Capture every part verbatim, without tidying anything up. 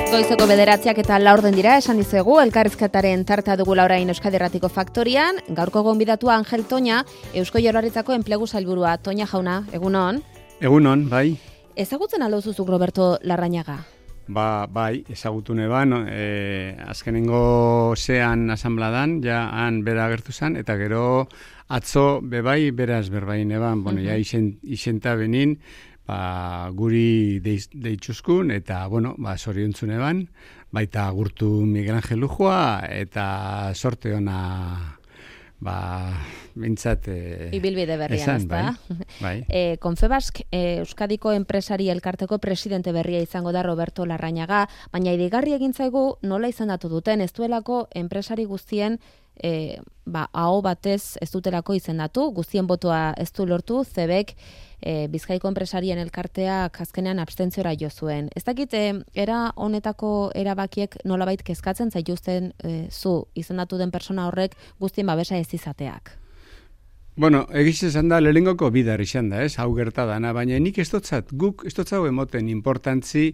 Goizeko bederatziak eta laurden dira, esan dizuegu, elkarrizketaren tartea dugula orain Euskadi Irratiko Faktorian. Gaurko gonbidatua Angel Toña, Eusko Jaurlaritzako enplegu sailburua. Toña jauna, egunon? Egunon, bai. Ezagutzen aldo zuzuk Roberto Larrañaga? Ba, bai, ezagutu neban, e, azkenengo zean asambladan, ja han bera agertu zen, eta gero atzo bebai beraz berbain eban, bueno, ja isen, isenta benin, ba, guri deitxuzkun, eta, bueno, ba, zoriontzun eban, baita agurtu Miguel Angel Lujua, eta sorte ona, ba, bintzat... E, Ibilbide berrian, ez da? Bai, bai. E, Confebask, e, Euskadiko enpresari elkarteko presidente berria izango da Roberto Larrañaga, baina idigarri egin zaigu nola izendatu duten, ez duelako enpresari guztien e, ba, aho batez ez dutelako izendatu, guztien botoa ez du lortu, Zebek e, Bizkaiko enpresarien elkarteak azkenean abstentziora jo zuen. Ez dakit, e, era honetako erabakiek nolabait kezkatzen zaituzten e, zu izendatu den persona horrek guztien babesa ez izateak? Bueno, egiz esan da, lehengoko bidar izan da, ez, hau gerta dana, baina nik ez dotzat, guk ez dotzau emoten importantzi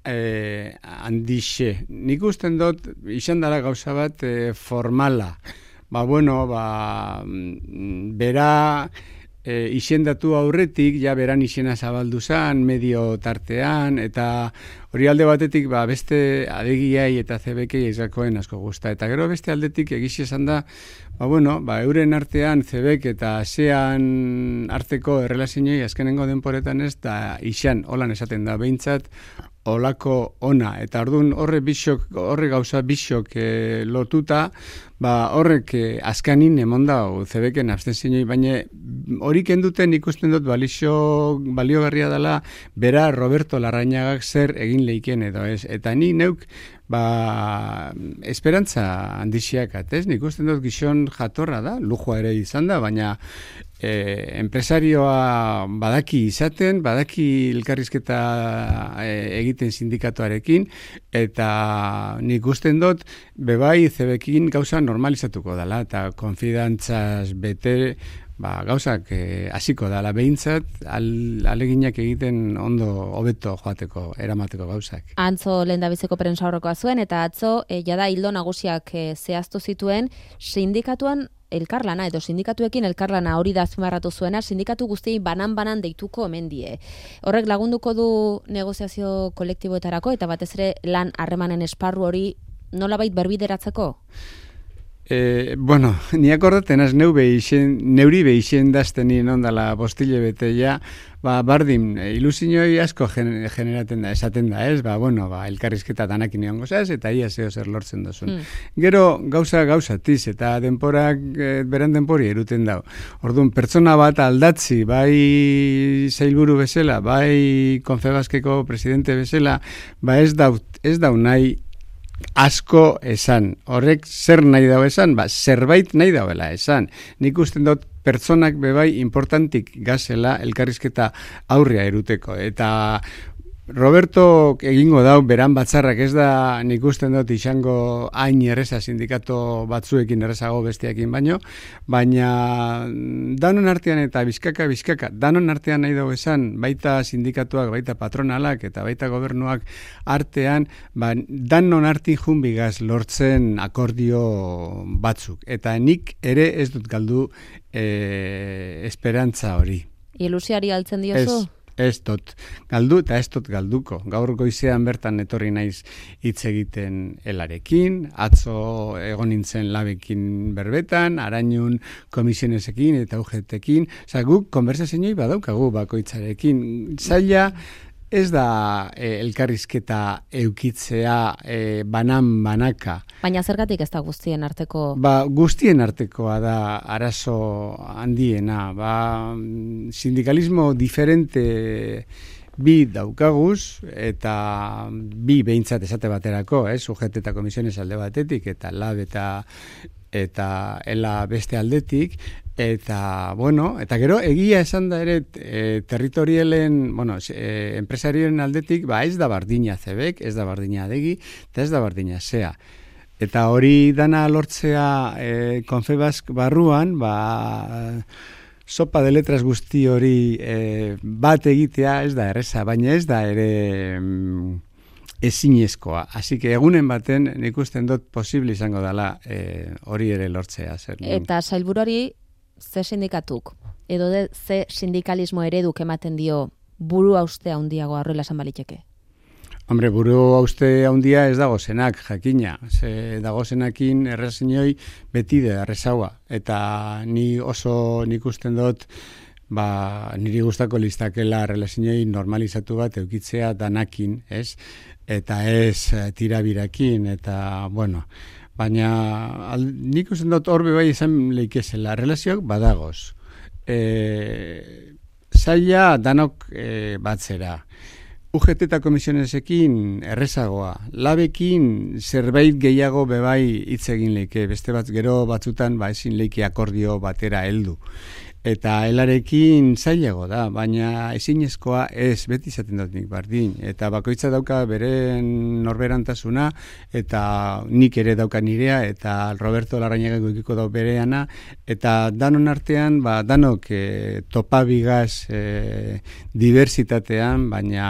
eh, handixe. Nik usten dut, izan dara gauza bat eh, formala. Ba, bueno, ba, bera e, izendatu aurretik, ja beran izena zabaldu zan, medio tartean, eta hori alde batetik, ba, beste adegiai eta zebekei ezakoen asko gusta. Eta gero beste aldetik egiz esan da, ba, bueno, ba, euren artean zebek eta zean arteko errelazinoi azkenengo denporetan ez, da izan, holan esaten da, behintzat, olako ona, eta orduan horre bisok, horre gauza bisok e, lotuta, ba horrek e, azkanin emondau zebeken abstenzioi, baina hori kenduten ikusten dut balixo, baliogarria dela, bera Roberto Larrañagak zer egin leiken edo ez, eta ni neuk, ba, esperantza handixiak atez, nik usten dut gizon jatorra da, lujua ere izan da, baina e, enpresarioa badaki izaten, badaki elkarrizketa e, egiten sindikatuarekin, eta nik usten dut, bebai zebekin gauza normalizatuko dela, eta konfidantzaz bete, ba, gauzak hasiko dala behintzat, al, aleginak egiten ondo hobeto joateko, eramateko gauzak. Antzo lehendabiziko prensa horrekoa zuen, eta atzo, e, jada hildo nagusiak e, zehaztu zituen, sindikatuan elkarlana, edo sindikatuekin elkarlana hori da azpimarratu zuena, sindikatu guztiei banan-banan deituko omen die. Horrek lagunduko du negoziazio kolektiboetarako, eta batez ere lan harremanen esparru hori nolabait berbideratzeko? E, bueno, ni akordaten az neu behixen, neuri behixen dazten nien ondala bostile bete ja, ba, bardin, ilusinoi asko generaten da, esaten da, ez? Ba, bueno, ba, elkarrizketa danakin egon gozaz, eta ia zeo zer lortzen dozun. Mm. Gero, gauza gauzatiz, eta denporak, e, beran denpori eruten dau. Orduan, pertsona bat aldatzi, bai sailburu bezala, bai Confebaskeko presidente bezala, ba ez dau, ez dau nahi, asko esan. Horrek zer nahi dau esan? Ba, zerbait nahi dauela esan. Nik usten dut pertsonak bebai importantik gazela elkarrizketa aurrea eruteko. Eta Roberto egingo dau beran batzarrak, ez da nik usten dut izango hain erreza sindikato batzuekin errezago besteakin baino, baina danon artean eta bizkaka bizkaka, danon artean nahi dugu esan, baita sindikatuak, baita patronalak eta baita gobernuak artean, ba, danon artin junbigaz lortzen akordio batzuk. Eta nik ere ez dut galdu e, esperantza hori. Ilusiari altzen diozu? Ez. Ez dut galdu eta ez dut galduko. Gaur goizean bertan etorri naiz hitz egiten elarekin, atzo egon nintzen labekin berbetan, arainun komisionesekin eta U G T-ekin. Osa, guk konbersazioi badaukagu bakoitzarekin. Zaila ez da e, elkarrizketa eukitzea e, banan-banaka. Baina zergatik ez da guztien arteko? Ba, guztien artekoa da arazo handiena. Ba, sindikalismo diferente bi daukaguz, eta bi behintzat esate baterako, eh? U G T eta komisiones alde batetik, eta lab eta eta ela beste aldetik, eta, bueno, eta gero egia esan da ere e, territorialen, bueno, e, enpresarien aldetik, ba ez da bardina zebek, ez da bardina adegi, eta ez da bardina zea. Eta hori dana lortzea e, Confebask barruan, ba sopa de letras guzti hori e, bat egitea ez da erreza, baina ez da ere ezinezkoa. Así que egunen baten nik usten dut posible izango dela e, hori ere lortzea. Zer. Eta sailburuari ze sindikatuk, edo de, ze sindikalismo ereduk ematen dio buru hauste handiago horrela esan baliteke? Hombre, buru hauste handia ez dago zenak, jakina. Ze dago zenakin errezinoi beti da errezaua. Eta ni oso nik usten dut ba, niri gustako listakela relazinoi normalizatu bat eukitzea danakin, ez? Eta ez tirabirakin, eta, bueno, baina al, nik usten dut horbe bai izan leikezela, relazioak badagoz. E, zaila danok e, batzera. U G T eta komisionesekin errezagoa, labekin zerbait gehiago bebai hitz egin leike, beste bat gero batzutan ba ezin leike akordio batera heldu. Eta helarekin zailago da, baina ezinezkoa ez, beti izaten dut nik bardin. Eta bakoitza dauka beren norberantasuna, eta nik ere dauka nirea, eta Roberto Larrañaga ikiko dau bereana, eta danon artean, ba, danok e, topabigaz e, diversitatean, baina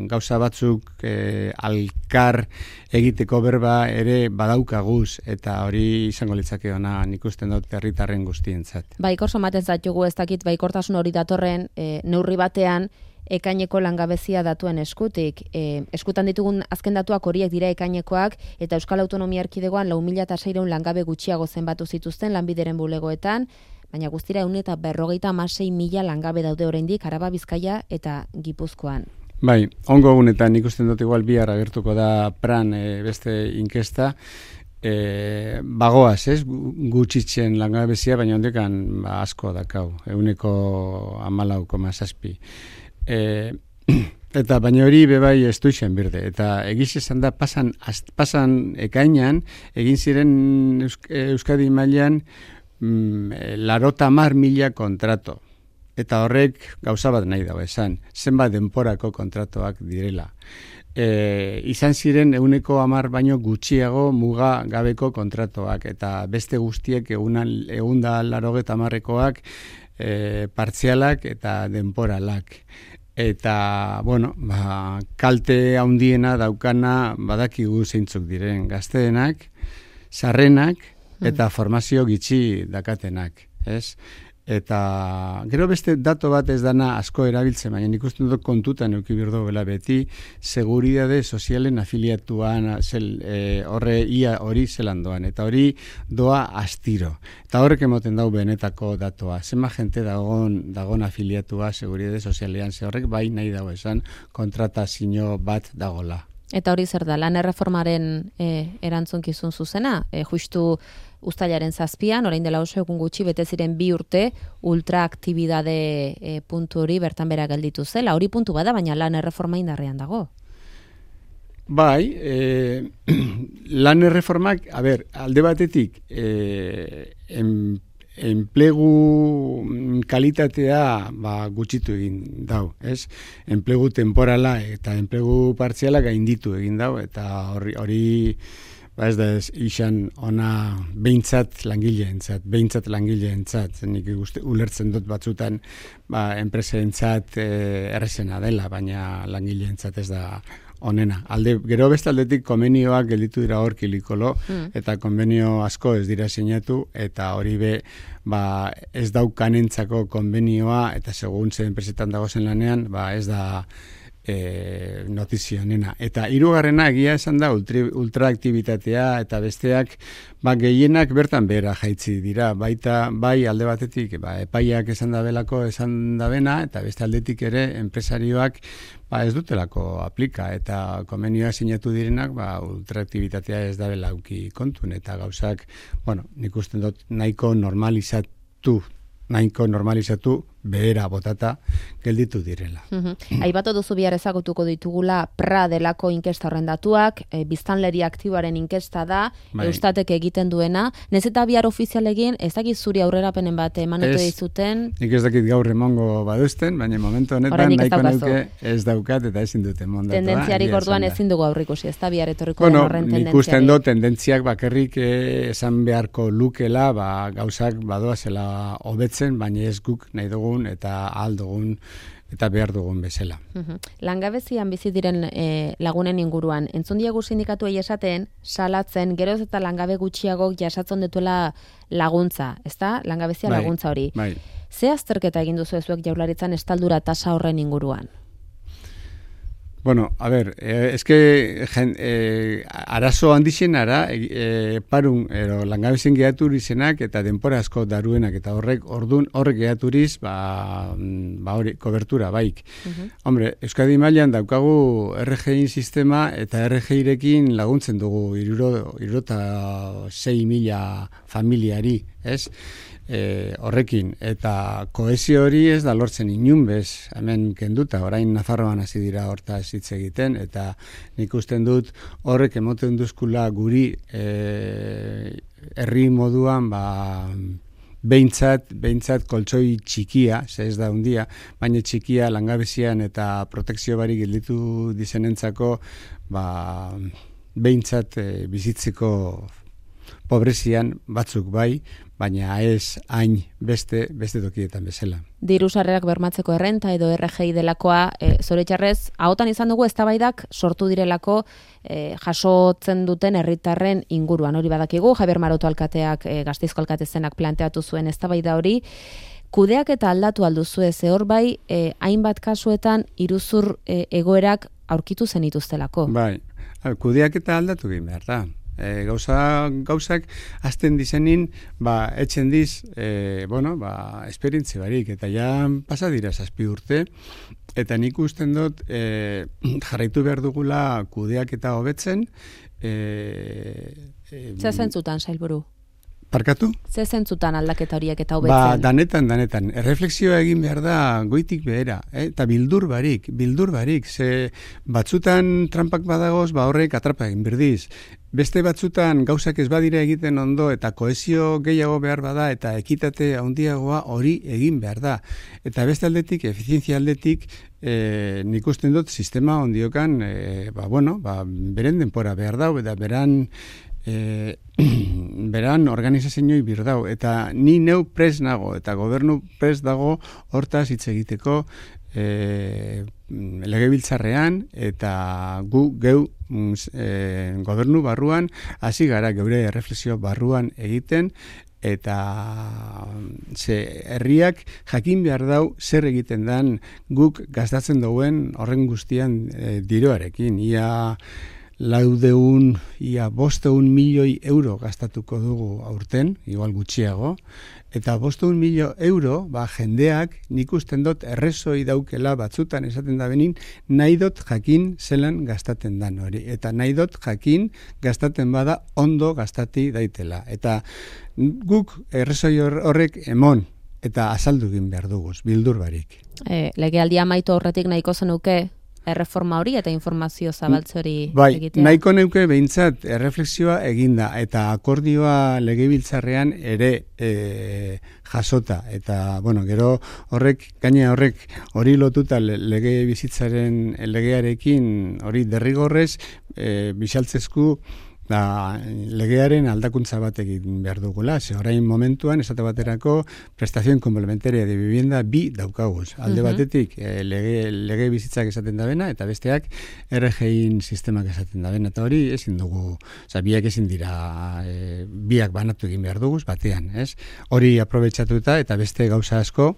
gauza batzuk e, alkar egiteko berba ere badaukaguz, eta hori izango litzake ona nik usten dut herritarren guztientzat. Baikor somaten zatugu ez dakit baikortasun hori datorren e, neurri batean ekaineko langabezia datuen eskutik. E, eskutan ditugun azken datuak horiek dira ekainekoak eta Euskal Autonomia Erkidegoan lau mila seiehun langabe gutxiago zenbatu zituzten lanbideren bulegoetan, baina guztira ehun eta berrogeita hamasei mila langabe daude oraindik Araba, Bizkaia eta Gipuzkoan. Bai, ongo egunetan ikusten dut igual bihar agertuko da pran e, beste inkesta, e, bagoaz, ez, gutxitzen langabezia, baina ondekan ba, asko dakau, eguneko hamalau koma zazpi. E, eta baina hori bebai ez duixen birde, eta egiz esan da pasan, az, pasan ekainan, egin ziren Eusk Euskadi mailan mm, larota mar mila kontrato. Eta horrek gauza bat nahi dago esan, zenbat denporako kontratoak direla. E, izan ziren eguneko hamar baino gutxiago muga gabeko kontratoak, eta beste guztiek egunda larogeta hamarrekoak e, partzialak eta denporalak. Eta, bueno, ba, kalte handiena daukana badakigu zeintzuk diren gazteenak, sarrenak eta formazio gitxi dakatenak, ez? Eta gero beste dato bat ez dana asko erabiltzen, baina nik uste dut kontutan euki birdo bela beti, seguridade sozialen afiliatuan zel, e, horre ia hori zelan doan, eta hori doa astiro. Eta horrek emoten dau benetako datoa. Zema jente dagon, dagon afiliatua seguridade sozialean, ze horrek bai nahi dago esan kontratazio bat dagola. Eta hori zer da, lan erreformaren e, erantzunkizun zuzena, e, justu uztailaren zazpian, orain dela oso egun gutxi, bete ziren bi urte ultraaktibidade e, puntu hori bertan bera gelditu zela. Hori puntu bada, baina lan erreforma indarrean dago. Bai, e, lan erreformak, a ber, alde batetik, e, en, enplegu kalitatea ba, gutxitu egin dau, ez? Enplegu temporala eta enplegu partziala gainditu egin dau, eta hori, hori ba ez da ez izan ona behintzat langileentzat, behintzat langileentzat, nik uste, ulertzen dut batzutan ba, enpreseentzat e, errezena dela, baina langileentzat ez da onena. Alde, gero beste aldetik konbenioak gelditu dira hor kilikolo, mm. eta konbenio asko ez dira sinatu, eta hori be ba, ez daukanentzako konbenioa, eta segun ze enpresetan dagozen lanean, ba, ez da E, notizio nena. Eta hirugarrena egia esan da ultra, ultraaktibitatea eta besteak ba, gehienak bertan behera jaitzi dira. Baita bai alde batetik ba, epaiak esan da belako esan da bena, eta beste aldetik ere enpresarioak ba, ez dutelako aplika, eta konbenioa sinatu direnak ba, ultraaktibitatea ez da belauki kontun, eta gauzak, bueno, nik usten dut nahiko normalizatu nahiko normalizatu behera botata gelditu direla. Mm-hmm. Aipatu duzu bihar ezagutuko ditugula pra delako inkesta horren datuak, e, biztanleri aktiboaren inkesta da, bai. Eustatek egiten duena. Nez eta bihar ofizial egin, ez dakit zuri aurrerapenen bat emanete dizuten? Nik ez dakit gaur emongo baduzten, baina momentu honetan nahiko neuke ez daukat eta ezin duten mondatua. Tendentziarik orduan ezin dugu aurrikusi, ez da bihar etorriko bueno, den horren tendentziarik. Nik usten dut tendentziak bakarrik esan beharko lukela, ba, gauzak badoazela hobetzen, baina ez guk nahi dugun eta ahal dugun eta behar dugun bezala. Uhum. Langabezian bizi diren e, lagunen inguruan, entzun diegu sindikatuei esaten, salatzen, geroz eta langabe gutxiago jasatzen dituela laguntza, ezta? Langabezia bai, laguntza hori. Bai. Ze azterketa egin duzu ezuek Jaurlaritzan estaldura tasa horren inguruan? Bueno, a ver, eh, es que eh, arazo handizenara eh, parun ero langabezien gehaturi zenak eta denpora asko daruenak eta horrek ordun horrek gehaturiz ba, ba hori kobertura baik. Uh-huh. Hombre, Euskadi mailan daukagu R G I sistema eta R G Irekin laguntzen dugu hirurogei mila familiari, ez? E, horrekin, eta kohesio hori ez da lortzen inun bez, hemen kenduta, orain Nafarroan hasi dira hortaz hitz egiten, eta nik usten dut horrek emoten duzkula guri e, herri moduan, ba, behintzat, behintzat koltsoi txikia, ze ez da hundia, baina txikia langabezian eta protekzio barik gelditu dizenentzako, ba, behintzat e, bizitzeko pobrezian batzuk bai, baina ez hain beste beste tokietan bezala. Diru sarrerak bermatzeko errenta edo R G I delakoa, e, zoritxarrez, ahotan izan dugu eztabaidak sortu direlako e, jasotzen duten herritarren inguruan. Hori badakigu, Javier Maroto alkateak, e, Gasteizko alkatezenak planteatu zuen eztabaida hori, kudeak eta aldatu alduzu ez, hor bai, e, hainbat kasuetan iruzur e, egoerak aurkitu zenituztelako. Bai, kudeak eta aldatu egin behar da. E, gauza, gauzak azten dizenin, ba, etxen diz, e, bueno, ba, esperientzi barik, eta ja pasa dira zazpi urte, eta nik usten dut e, jarraitu behar dugula kudeak eta hobetzen. E, e, Zer zentzutan, Sailburu? Parkatu? Ze zentzutan aldaketa horiek eta hobetzen? Ba, danetan, danetan. Erreflexioa egin behar da goitik behera, eh? Eta bildur barik, bildur barik. Ze batzutan trampak badagoz, ba horrek atrapa egin berdiz. Beste batzutan gauzak ez badira egiten ondo eta kohesio gehiago behar bada eta ekitate handiagoa hori egin behar da. Eta beste aldetik, efizientzia aldetik, eh, nik usten dut sistema ondiokan, eh, ba, bueno, ba, beren denpora behar dau, eta beran E, beran organizazioi birdau, eta ni neu pres nago, eta gobernu pres dago hortaz hitz egiteko e, legebiltzarrean, eta gu geu e, gobernu barruan hasi gara geure erreflexio barruan egiten, eta ze herriak jakin behar dau zer egiten dan guk gastatzen duen horren guztian e, diroarekin. Ia laudeun, ia bosteun milioi euro gastatuko dugu aurten, igual gutxiago, eta bosteun milio euro, ba, jendeak nik usten dut errezoi daukela batzutan esaten da benin, nahi dut jakin zelan gastaten dan hori, eta nahi dut jakin gastaten bada ondo gastati daitela. Eta guk errezoi horrek emon, eta azaldu egin behar duguz, bildur barik. E, legealdia amaitu horretik nahiko zenuke, erreforma hori eta informazio zabaltze hori bai, egitea. Nahiko neuke behintzat erreflexioa eginda eta akordioa legebiltzarrean ere e, jasota. Eta, bueno, gero horrek, gaina horrek hori lotuta lege bizitzaren legearekin hori derrigorrez e, bisaltzezku da, legearen aldakuntza bat egin behar dugula. Ze orain momentuan, esate baterako, prestazion komplementaria de vivienda bi daukaguz. Alde uh-huh. batetik, e, lege, lege bizitzak esaten da bena, eta besteak R G I sistemak esaten da bena. Eta hori ezin dugu, oza, biak ezin dira, e, biak banatu egin behar duguz, batean, ez? Hori aprobetxatuta, eta beste gauza asko,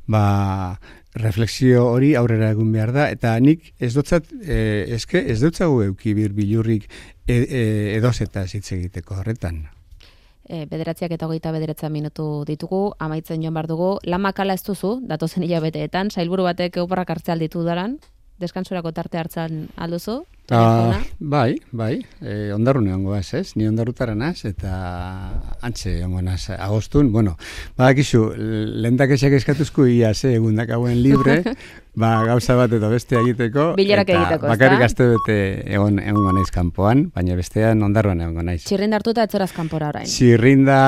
ba, reflexio hori aurrera egun behar da, eta nik ez dutzat, e, eske ez dutzagu euki bir bilurrik e, e, edozeta hitz egiteko horretan. E, bederatziak eta hogeita bederatza minutu ditugu, amaitzen joan behar dugu, lan makala ez duzu, datozen hilabeteetan, sailburu batek euporrak hartzea alditu daran, deskansurako tarte hartzan alduzu? Uh, bai, bai, e, ondarrune ongo ez, ez? Ni ondarrutaranaz eta antxe ongonaz agostun. Bueno, badakizu, lehentak esak eskatuzku ia ze egundak hauen libre, ba, gauza bat eta beste egiteko. Bilerak egiteko, ez da? Bakarrik aste bete egon, egongo naiz kanpoan, baina bestean ondarruan egongo naiz. Txirrinda hartuta etzoraz kanpora orain. Txirrinda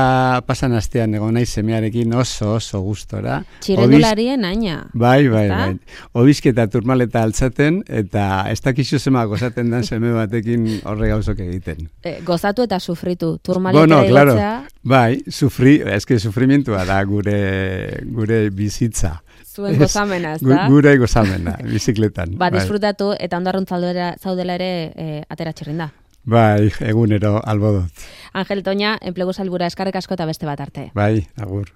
pasan astean egon naiz semearekin oso oso gustora. Txirrindularien aina. Bai, bai, bai. Obizketa turmaleta altzaten, eta ez dakizu zema gozaten dan seme batekin horre gauzok egiten. E, gozatu eta sufritu. Turmaleta bueno, egotzea. Claro. Bai, sufri, eske sufrimientua da gure, gure bizitza. Zuen gozamena, ez Gu- da? Gure gozamena, bizikletan. Ba, bai. disfrutatu eta ondarrun zaudela, zaudela ere e, atera txirrinda. Bai, egunero albodot. Angel Toña, enplegu salbura eskarrik asko eta beste bat arte. Bai, agur.